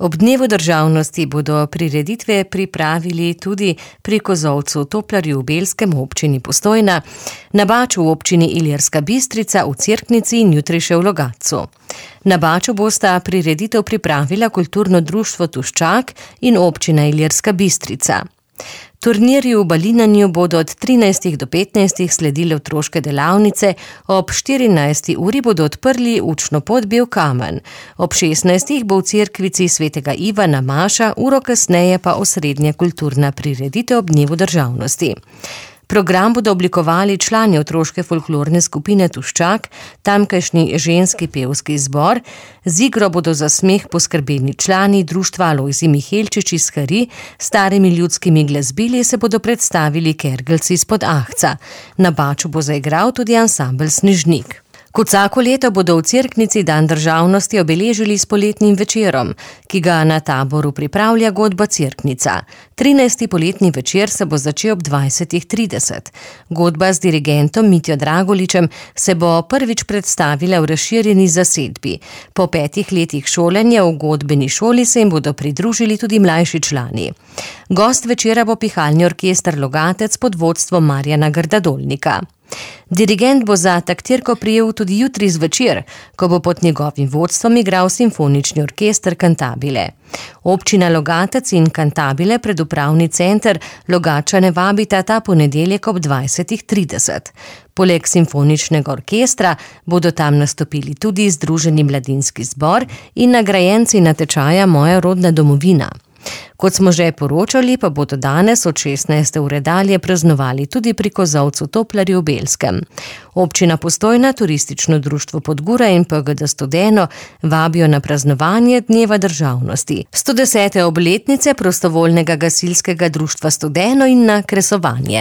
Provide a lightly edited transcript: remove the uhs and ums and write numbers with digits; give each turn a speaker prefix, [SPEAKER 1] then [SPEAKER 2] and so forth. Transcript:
[SPEAKER 1] Ob dnevu državnosti bodo prireditve pripravili tudi pri Kozolcu Toplarju v Belskem občini Postojna, na Baču v občini Ilirska Bistrica, v Cerknici in jutri še v Logatcu. Na Baču bosta prireditev pripravila kulturno društvo Tuščak in občina Ilirska Bistrica. Turnirji v balinanju bodo od 13 do 15 sledile otroške delavnice, ob 14. uri bodo odprli učno pot Bel kamen. Ob 16. bo v cerkvici svetega Ivana maša, uro kasneje pa osrednja kulturna prireditev ob dnevu državnosti. Program bodo oblikovali člani otroške folklorne skupine Tuščak, tamkajšnji ženski pevski zbor, z igro bodo za smeh poskrbeni člani društva Alojzij Mihelčič iz Hari, starimi ljudskimi glasbili se bodo predstavili kergelci izpod Ahca. Na Baču bo zaigral tudi ansambel Snežnik. Kot vsako leto bodo v Cerknici dan državnosti obeležili s poletnim večerom, ki ga na taboru pripravlja godba Cerknica. 13. poletni večer se bo začel ob 20:30. Godba z dirigentom Mitjo Dragoličem se bo prvič predstavila v razširjeni zasedbi. Po 5 letih šolanja v godbeni šoli se jim bodo pridružili tudi mlajši člani. Gost večera bo pihalni orkester Logatec pod vodstvom Marjana Grdadolnika. Dirigent bo za taktirko prijel tudi jutri zvečer, ko bo pod njegovim vodstvom igral simfonični orkester Cantabile. Občina Logatec in Cantabile pred upravni center Logatčane vabita ta ponedeljek ob 20:30. Poleg simfoničnega orkestra bodo tam nastopili tudi Združeni mladinski zbor in nagrajenci natečaja Moja rodna domovina. Kot smo že poročali, pa bodo danes od 16. ure dalje praznovali tudi pri Kozolcu Toplarju v Belskem. Občina Postojna, Turistično društvo Podgura in PGD Studeno vabijo na praznovanje dneva državnosti, 110. obletnice prostovoljnega gasilskega društva Studeno in na kresovanje.